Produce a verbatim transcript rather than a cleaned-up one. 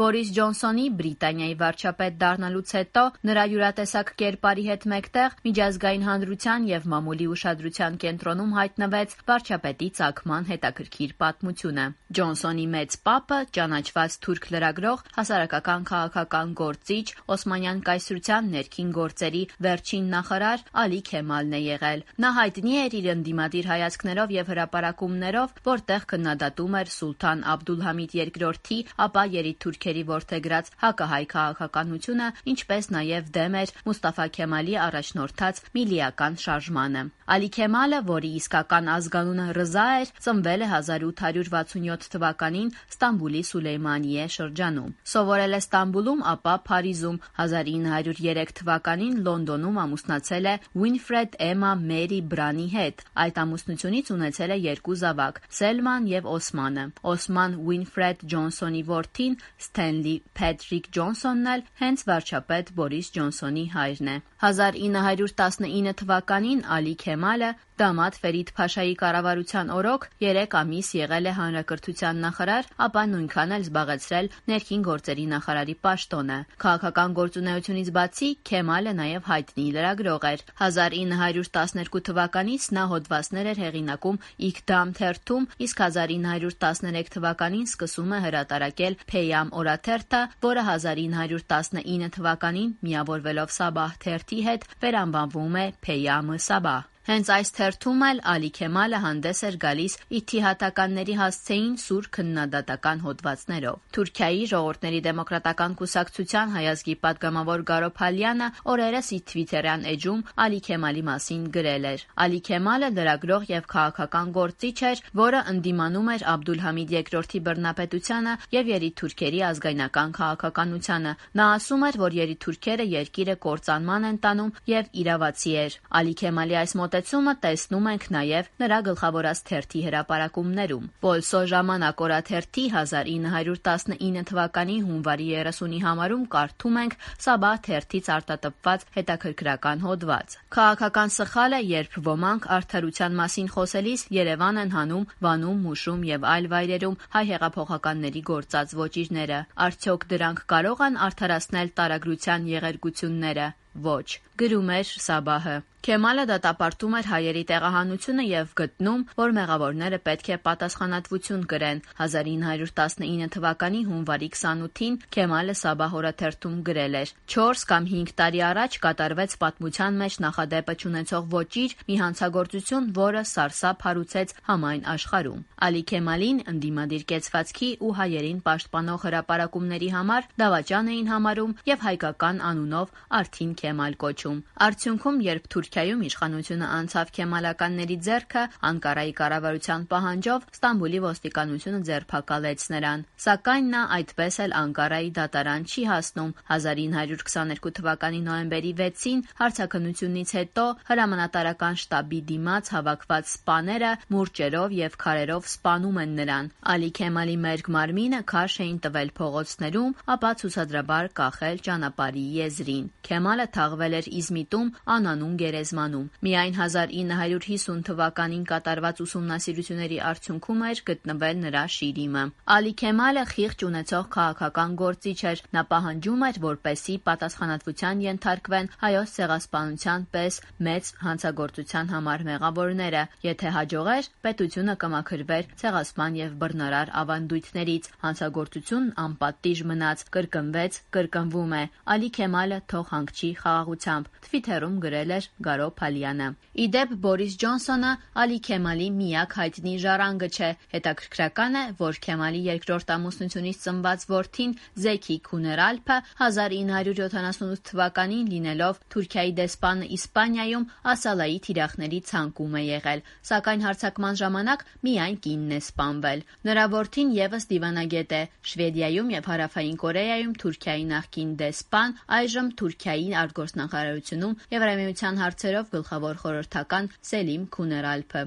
Բորիս Ջոնսոնի Բրիտանիայի վարչապետ դառնալուց հետո նրա յուրատեսակ կերպարի հետ մեկտեղ միջազգային հանրության եւ մամուլի ուշադրության կենտրոնում հայտնվեց վարչապետի ծագման հետաքրքիր պատմությունը։ Ջոնսոնի մեծ պապը ճանաչված թուրք լրագրող, հասարակական քաղաքական գործիչ, Օսմանյան կայսրության ներքին գործերի վերջին նախարար Ալի Քեմալն է եղել։ Նա հայտնի էր իր ընդդիմադիր հայացքներով եւ հրապարակումներով, որտեղ քննադատում էր Սուլթան Աբդուլհամիդ երկրորդի, ապա երիտթուրքերի որդեգրած հակահայ քաղաքականությունը, ինչպես նաեւ դեմ էր Մուստաֆա Քեմալի առաջնորդած միլիական շարժմանը։ Ալի Քեմալը, որի իսկական ազգանունը Ռզա էր, ծնվել է հազար ութ հարյուր վաթսունյոթ թվականին Ստամբուլի Սուլեյմանիե շրջանում։ Սովորել է Ստամբուլում, ապա Փարիզում, հազար ինը հարյուր երեք թվականին Լոնդոնում ամուսնացել է Ուինֆրեդ Էմա Մերի Բրանի հետ։ Այդ ամուսնությունից ունեցել է երկու զավակ՝ Սելման եւ Օսմանը։ Օսման Ուինֆրեդ Ջոնսոնի որդին Սթենլի Փեթրիկ Ջոնսոնն էլ հենց վարչապետ Բորիս Ջոնսոնի հայրն է։ հազար ինը հարյուր տասնինը թվականին Ալի Քեմալը դամատ Ֆերիդ Փաշայի կառավարության օրոք երեք ամիս եղել է հանրակրթության նախարար, ապա նույնքան էլ զբաղեցրել ներքին գործերի նախարարի պաշտոնը։ Քաղաքական գործունեությունից բացի Քեմալը նաև հայտնի լրագրող էր։ հազար ինը հարյուր տասներկու թվականից նա հոդվածներ էր հեղինակում Իգդամ թերթում, իսկ հազար ինը հարյուր տասներեք թվականին սկսում է հրատարակել Փեյամ օրաթերթը, որը հազար ինը հարյուր տասնինը թվականին միավորվելով Սաբահ թերթի հետ վերանվանվում է Փեյամը Սաբահ։ Հենց այս թերթում էլ Ալի Քեմալը հանդես էր գալիս իթիհադականների հասցեին սուր քննադատական հոդվածներով։ Թուրքիայի ժողովուրդների դեմոկրատական կուսակցության հայազգի պատգամավոր Գարո Փալյանը օրերս իր թվիթերյան էջում Ալի Քեմալի մասին գրել էր. Ալի Քեմալը լրագրող եւ քաղաքական գործիչ էր, որը ընդդիմանում էր Աբդուլհամիդ երկրորդի բռնապետությանը եւ երիտթուրքերի ազգայնական քաղաքականությանը։ Նա ասում էր, որ երիտթուրքերը երկիրը կործանման են տանում եւ իրավացի էր։ Ալի Քեմալի այս մոտեցումը տեսնում ենք նաև նրա գլխավորած թերթի հրապարակումներում։ Պոլսո ժամանակ օրաթերթի հազար ինը հարյուր տասնինը թվականի հունվարի երեսունի համարում կարդում ենք Սաբահ թերթից արտատպված հետաքրքրական հոդված։ Քաղաքական սխալ է, երբ ոմանք արդարության մասին խոսելիս Երևան են հանում Վանում, Մուշում եւ այլ վայրերում հայ հեղափոխականների գործած ոճիրները։ Արդյոք դրանք կարող են արդարացնել տարագրության եղերգությունները։ Ոչ, գրում էր Սաբահը։ Քեմալը դատապարտում էր հայերի տեղահանությունը եւ գտնում, որ մեղավորները պետք է պատասխանատվություն կրեն։ հազար ինը հարյուր տասնինը թվականի հունվարի քսանութին Քեմալը Սաբահ օրաթերթում գրել էր. չորս կամ հինգ տարի առաջ կատարվեց պատմության մեջ նախադեպը չունեցող ոճիր, մի հանցագործություն, որը սարսափ հարուցեց համայն աշխարհում։ Ալի Քեմալին ընդդիմադիր կեցվածքի ու հայերին պաշտպանող հրապարակումների համար դավաճան էին համարում եւ հայկական անունով Արթին Քեմալ կոչում։ Արդյունքում, երբ Թուրքիայում իշխանությունը անցավ քեմալականների ձեռքը, Անկարայի կառավարության պահանջով Ստամբուլի ոստիկանությունը ձերբակալեց նրան։ Սակայն նա այդպես էլ Անկարայի դատարան չի հասնում։ հազար ինը հարյուր քսաներկու թվականի նոյեմբերի վեցին հարցաքննությունից հետո հրամանատարական շտաբի դիմաց հավաքված սպաները մուրճերով եւ քարերով սպանում են նրան։ Ալի Քեմալի մերկ մարմինը քարշ էին տվել փողոցներում, ապա ցուցադրաբար կախել ճանապարհի եզրին։ Քեմալը թաղվել էր Իզմիտում անանուն գերեզմանում։ Միայն հազար ինը հարյուր հիսուն թվականին կատարված ուսումնասիրությունների արդյունքում էր գտնվել նրա շիրիմը։ Ալի Քեմալը խիղճ ունեցող քաղաքական գործիչ էր։ Նա պահանջում էր, որպեսզի պատասխանատվության ենթարկվեն հայոց ցեղասպանության պես մեծ հանցագործության համար մեղավորները։ Եթե հաջողեր, պետությունը կմաքրվեր ցեղասպան եւ բռնարար ավանդույթներից։ Հանցագործությունն անպատիժ մնաց, կրկնվեց, կրկնվում է։ Ալի Քեմալը թող հանգչի խաղաղությամբ, թվիթերում գրել էր Գարո Փալյանը։ Իդեպ Բորիս Ջոնսոնը Ալի Քեմալի միակ հայտնի ժառանգը չէ։ Հետաքրքրական է, որ Քեմալի երկրորդ ամուսնությունից ծնված որդին Զեքի Քուներալփը հազար ինը հարյուր յոթանասունութ թվականին լինելով Թուրքիայի դեսպանը Իսպանիայում Ասալայի թիրախների ցանկում է եղել, սակայն հարձակման ժամանակ միայն կինն է սպանվել։ Նրա որդին եւս դիվանագետ է։ Շվեդիայում եւ Հարավային Կորեայում Թուրքիայի նախկին դեսպան, այժմ Թուրքիայի արտգործնախարարությունում Եվրամիության հարցերով գլխավոր խորհրդական Սելիմ Քուներալփը։